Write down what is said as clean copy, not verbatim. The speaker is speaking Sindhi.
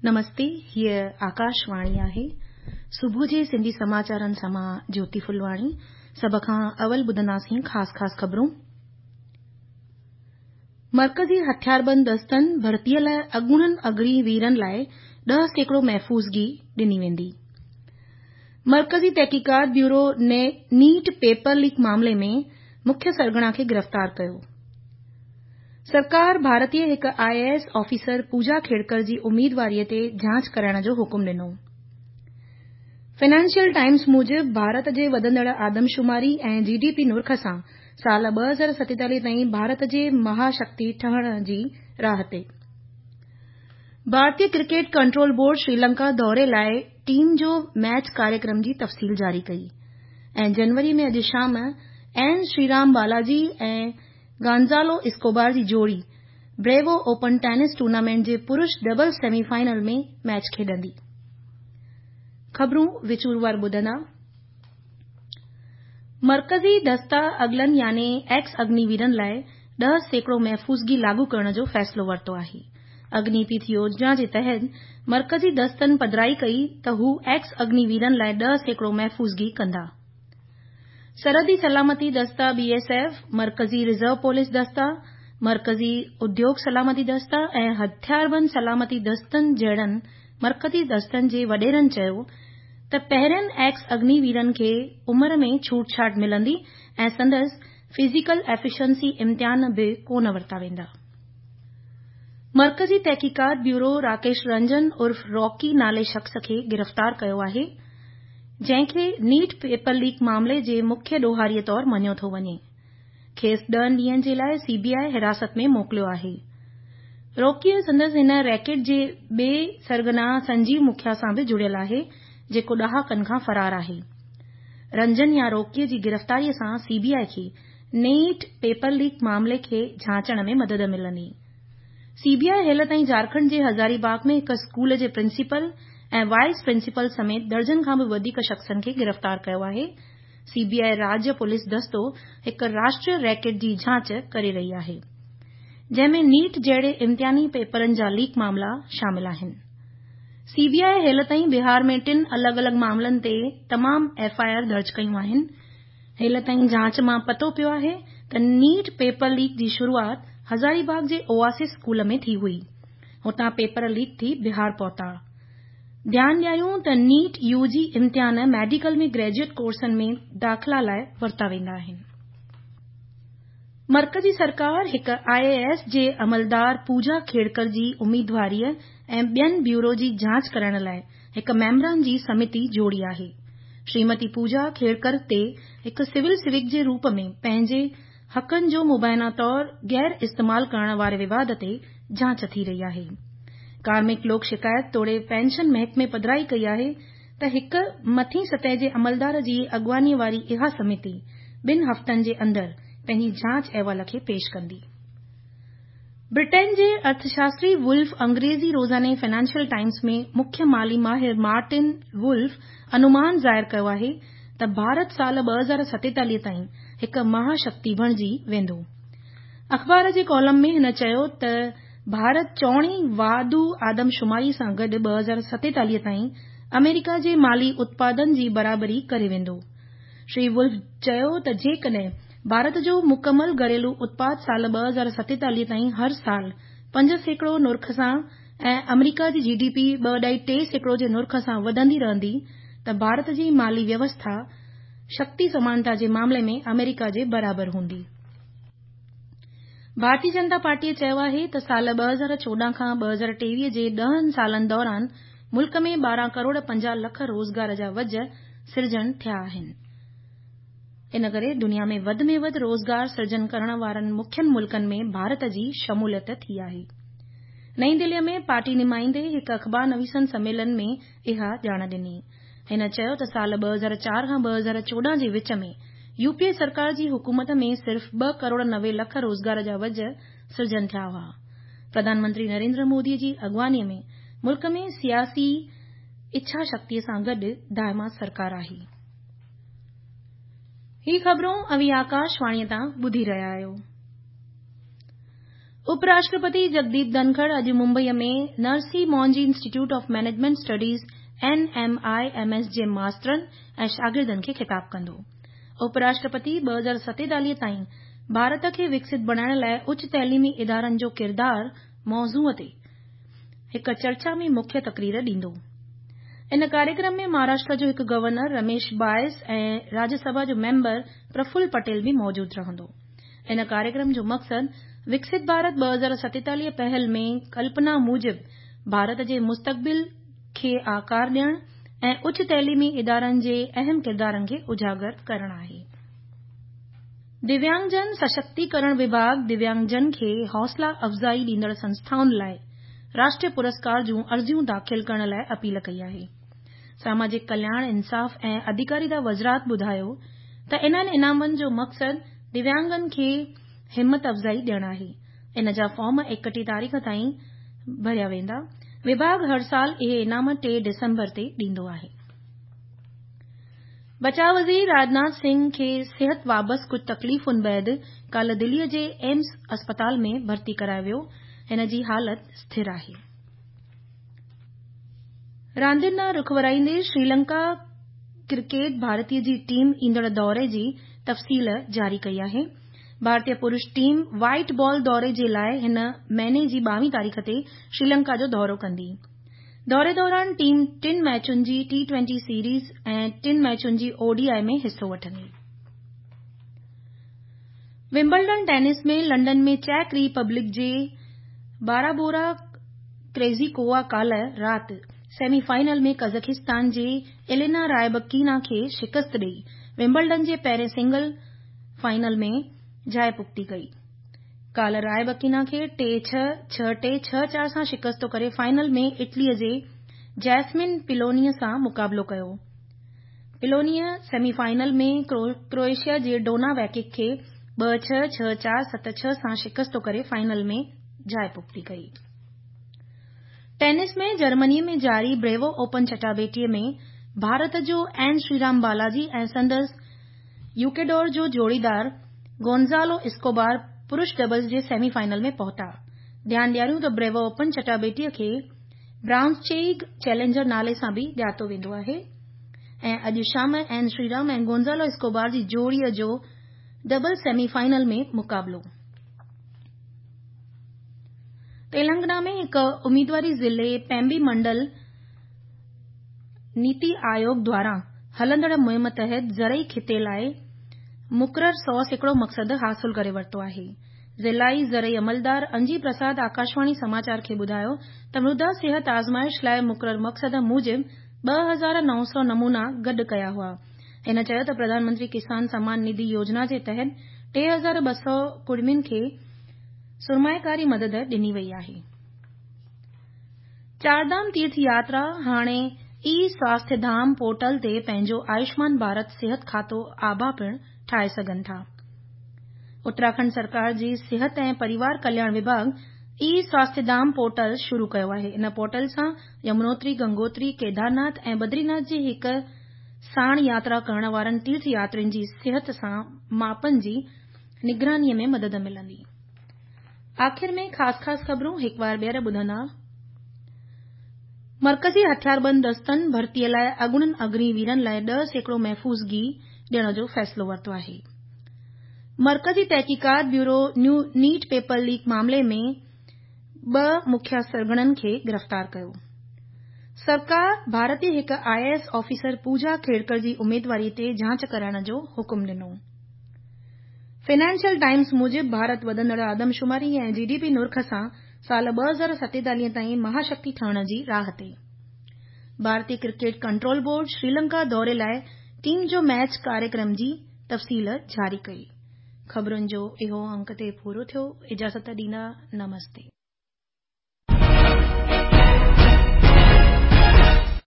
نمستي، هيء آڪاشواڻي آهي. صبح جي سنڌي سماچارن سان مان جيوتي ڦلواڻي. سڀ کان اول ٻڌنداسين خاص خاص خبرون. مرڪزي هٿياربند دستن ڀرتيء لاء اڳوڻن اگني ويرن لاء 10% محفوظگي ڏني ويندي. مرڪزي تحقيقات بيورو نيٽ پيپر ليڪ معاملي ۾ مکيه سرغنا کي گرفتار ڪيو. سرڪار ڀارتي هڪ I A S officer Puja Khedkar جي اميدواريء تي جاچ ڪرائڻ جو حڪم ڏنو. فنانشل ٽائمز موجب ڀارت جي وڌندڙ آدمشماري ۽ جي ڊي پي نرخ سان سال 2047 تائين ڀارت جي مها شڪتي ٺهڻ جي راهه تي. ڀارتي ڪرڪيٽ ڪنٽرول بورڊ شريلنڪا دوري لاء ٽيم جو ميچ ڪاريڪرم جي تفصيل جاري ڪئي ۽ جنوري ۾ اڄ شام اين شريرام بالاجي ۽ گانزالو اسڪوبار جي جوڙي بريوو اوپن ٽينس ٽورنامينٽ جي پرش ڊبلز سيمي فائنل ۾ ميچ کيڏندي. خبرون وچور ٻڌندا. مرڪزي دستا اڳلن يعني ايڪس اگني ويرن لاء 10% محفوظگي لاڳو ڪرڻ جو فيصلو ورتو آهي. اگني پٿ يوجنا جي تحت مرڪزي دستن پڌرائي ڪئي ته هو ايڪس اگني ويرن لاء 10% محفوظگي ڪندا. سرحدي سلامتي دستا بي ايس ايف، مرڪزي رزرو پوليس دستا، مرڪزي اديوگ سلامتي دستا ۽ هٿياربند سلامتي دستن جهڙن مرڪزي دستن جي وڏيرن چيو ته پهرين ايڪس اگني ويرن کي عمر ۾ ڇوٽ ڇاٽ ملندي ۽ سندس فزيڪل ايفيشنسي امتحان به ڪونه ورتا ويندا. مرڪزي تحقيقات بيورو راڪيش رنجن عرف راڪي نالي شخص کي گرفتار ڪيو آهي، جنهن کي نيٽ پيپر ليڪ معاملي جي مکيه ڏوهاري طور مڃيو ٿو وڃي. کيس 10 ڏينهن جي لاء سي بي آء حراست ۾ موڪليو آهي. روڪيء سندس هن ريڪيٽ جي ٻئي سرغنا سنجيو مکيا سان به جڙيل آهي، جيڪو ڏهاڪن کان فرار آهي. رنجن يا روڪيء جي گرفتاريء سان سي بي آء کي نيٽ پيپر ليڪ معاملي کي جاچڻ ۾ مدد ملندي. سي بي آء هيل تائين جهارکنڊ جي هزاري باغ ۾ هڪ اسڪول جي پرنسپل ۽ وائيس پرنسپل سميت درجن کان به وڌيڪ شخصن کي گرفتار ڪيو آهي. سي بي آء راجيه پوليس دستو هڪ راشٽريه ريڪيٽ جي جاچ ڪري رهي آهي، جنهن ۾ نيٽ جهڙي امتحاني پيپرن جا ليڪ معاملا شامل آهن. سي بي آء هيل تائين بهار ۾ ٽن الڳ الڳ معاملن تي تمام ايف I R درج ڪيون آهن. هيل تائين جاچ مان پتو پيو آهي ته نيٽ پيپر ليڪ جي شروعات هزاري باغ جي اوآسس اسڪول ۾ ٿي هئي. هتان پيپر ليڪ ٿي بهار پهتا. ڌيان ڏياريون ته نيٽ يو جي امتحان ميڊيڪل ۾ گريجوئيٽ ڪورسن ۾ داخلا لاء ورتا ويندا آهن. مرڪزي سرڪار هڪ آء اي ايس جي عملدار پوجا کيڙڪر جي اميدواريء ۽ ٻين بيورو جي جاچ ڪرائڻ لاء هڪ ميمبران جي سمتي جوڙي آهي. شريمتي پوجا کيڙڪر تي هڪ سول سيوڪ جي روپ ۾ پنهنجي حقن جو مبينا طور غير استعمال ڪرڻ واري وواد تي جاچ ٿي رهي آهي. ڪارمڪ لوڪ شڪايت توڙي پينشن محڪمي پڌرائي ڪئي آهي ته هڪ مٿين سطح جي عملدار جي اڳواڻيء واري اها سمتي ٻن هفتن جي اندر پنهنجي جاچ احوال کي پيش ڪندي. برٽين جي ارٿشاستري وولف انگريزي روزاني فنانشل ٽائمز ۾ مکيه مالي ماهر مارٽن وولف انومان ظاهر ڪيو آهي ته ڀارت سال 2047 تائين هڪ مها شڪتي بڻجي ويندو. اخبار جي ڪالم ۾ هن چيو ته ڀارت چئوڻي واڌو آدمشماري سان گڏ 2047 تائين آمريڪا جي مالي اتپادن جي برابري ڪري ويندو. شري وولف چيو ته جيڪڏهن ڀارت جو مڪمل گهريلو اتپاد سال 2047 تائين هر سال 5% نرخ سان ۽ آمريڪا جي جي ڊي پي 2.3% جي نرخ سان وڌندي رهندي ته ڀارت جي مالي ويوسٿا شڪتي سمانتا جي معاملي ۾ آمريڪا جي برابر هوندي. ڀارتي جنتا پارٽيء چيو آهي ته سال 2014 کان 2023 جي 10 سالن دوران ملڪ ۾ 12 ڪروڙ 50 لک روزگار جا وجهه سرجڻ ٿيا آهن. ان ڪري دنيا ۾ وڌ ۾ وڌ روزگار سرجن ڪرڻ وارن مکين ملڪن ۾ ڀارت جي شموليت ٿي آهي. نئين دهليء ۾ پارٽي نمائندي هڪ اخبار نويسن سميلن ۾ اها ڄاڻ ڏني. هن چيو ته سال 2004 کان 2014 جي وچ ۾ يو پي اي سرڪار جي حڪومت ۾ صرف 2 ڪروڙ 90 لک روزگار جا وجهه سرجن ٿيا هئا. پرڌان منتري نريندر مودي جي اڳواڻيء ۾ ملڪ ۾ سياسي اڇا شڪتيء سان گڏ دائما سرڪار آهي. هي خبرون اوهين آڪاشواڻيء تان ٻڌي رهيا آهيو. اپراشٽرپتي جگديپ ڌنکڙ اڄ ممبئيء ۾ Narsee Monjee institute of management studies, N M I M S, جي ماسترن ۽ شاگردن کي خطاب ڪندو. اپراشٽرپتي 2047 تائين ڀارت کي وڪست بڻائڻ لاء اچ تعليمي ادارن جو ڪردار موضوع تي هڪ چرچا ۾ مکيه تقرير ڏيندو. ان ڪاريڪرم ۾ مهاراشٽر جو هڪ گورنر رميش بائس ۽ راجيه سڀا جو ميمبر پرفل پٽيل به موجود رهندو. ان ڪاريڪرم جو مقصد وڪست ڀارت 2047 پهل ۾ ڪلپنا موجب ڀارت جي مستقبل کي آڪار ڏيڻ ۽ اچ تعليمي ادارن جي اهم ڪردارن کي اجاگر ڪرڻ آهي. دويانگجن سشڪتيڪرڻ وڀاڳ دويانگجن کي حوصلا افزائي ڏيندڙ سنسٿائن لاء راشٽريه پرسڪار جون عرضيون داخل ڪرڻ لاء اپيل ڪئي آهي. ساماجڪ ڪلياڻ، انصاف ۽ اڌيڪاريتا وزارت ٻڌايو ته انهن انعامن جو مقصد دويانگن کي همت افزائي ڏيڻ آهي. ان جا فارم 31 تاريخ تائين ڀريا ويندا. وڀاڳ هر سال اهي انعام 3 ڊسمبر تي ڏيندو آهي. بچاء وزير راجناٿ سنگهه کي صحت وابسته ڪجهه تڪليفن بعد ڪالهه دليء جي ايمس اسپتال ۾ ڀرتي ڪرايو ويو. هن جي حالت سٿر آهي. راندين ڏانهن رخ ورائيندي شريلنڪا ڪرڪيٽ ڀارتي جي ٽيم ايندڙ دوري جي تفصيل جاري ڪئي آهي. ڀارتي پرش ٽيم وائيٽ بال دوري جي لاء هن مهيني جي 22 تاريخ تي شريلنڪا جو دورو ڪندي. دوري دوران ٽيم ٽن ميچن جي ٽي ٽوئنٽي سيريز ۽ ٽن ميچن جي او ڊي I ۾ حصو وٺندي. ومبلڊن ٽينس ۾ لنڊن ۾ چيڪ ري پبلڪ جي بارابورا ڪريزيڪووا ڪالهه رات سيمي فائنل ۾ قزاخستان جي ايلينا رائبڪينا کي شڪست ڏئي ومبلڊن جي پهرين سنگل فائنل ۾ جاءِ پختي ڪئي. ڪالهه رائبڪينا کي 3-6، 6-3، 6-4 سان شڪست ڪري فائنل ۾ اٽليء جي جيسمن پلونيء سان مقابلو ڪيو. پلونيء سيمي فائنل ۾ ڪروئيشيا جي ڊونا ويڪڪ کي 2-6، 6-4، 7-6 سان شڪست ڪري فائنل ۾ جاءِ پختي ڪئي. ٽينس ۾ جرمنيء ۾ جاري بريوو اوپن چٽاڀيٽيء ۾ ڀارت جو اين شري رام بالاجي ۽ سندس ايڪواڊور جو جوڙيدار گونزالو اسڪوبار پرش ڊبلز جي سيمي فائنل ۾ پهتا. ڌيان ڏياريون ته بريوو اوپن چٽاڀيٽيء کي برائونشچيگ چئلينجر نالي سان به ڄاتو ويندو آهي ۽ اڄ شام اين شري رام ۽ گونزالو اسڪوبار جي جوڙيء جو ڊبلز سيمي فائنل ۾ مقابلو. تيلنگانا ۾ هڪ اميدواري ضلعي پيمبي منڊل نيتي آيوگ دواران هلندڙ مهم تحت زرعي کيتي لاء مقرر 100% مقصد حاصل ڪري ورتو آهي. ضلعي زرعي عملدار انجي پرساد آڪاشواڻي سماچار کي ٻڌايو ته مردا صحت آزمائش لاء مقرر مقصد موجب 2900 نمونا گڏ ڪيا هئا. هن چيو ته پرڌان منتري ڪسان سمان نڌي يوجنا جي تحت 3200 ڪڙمين کي سرمائيڪاري مدد ڏني وئي آهي. چارڌام تيرٿ ياترا هاڻي اي سواسٿيه ڌام پورٽل تي پنهنجو آيوشمان ڀارت صحت کاتو آڀا پڻ ٺاهي سگهن ٿا. اتراکنڊ سرڪار جي صحت ۽ پريوار ڪلياڻ وڀاڳ اي سواسٿيه ڌام پورٽل شروع ڪيو آهي. ان پورٽل سان يمنوتري، گنگوتري، ڪيدارناٿ ۽ بدريناٿ جي هڪ ساڻ ياترا ڪرڻ وارن تيرٿ ياترين جي صحت سان ماپن جي نگرانيء ۾ مدد ملندي. آخر ۾ خاص خاص خبرون هڪ وار ٻيهر ٻڌندا. مرڪزي هٿياربند دستن ڀرتيء لاء اڳوڻن اگني ويرن لاء 10% محفوظگي ڏيڻ جو فيصلو ورتو آهي. مرڪزي تحقيقات بيورو نيٽ پيپر ليڪ معاملي ۾ ٻه مکيه سرغنن کي گرفتار ڪيو. سرڪار ڀارتي هڪ I A S officer Puja Khedkar جي اميدواري تي جاچ ڪرائڻ جو حڪم ڏنو. فنانشل ٽائمز موجب ڀارت وڌندڙ آدمشماري ۽ جي ڊي پي نرخ سان سال 2047 تائين مهاشڪتي ٺهڻ جي راهه تي. ڀارتي ڪرڪيٽ ڪنٽرول بورڊ شريلنڪا دوري لاء ٽيم جو ميچ ڪاريڪرم جي تفصيل جاري ڪئي. خبرن جو اهو انڪ تي پورو ٿيو. اجازت ڏيندا. نمستي.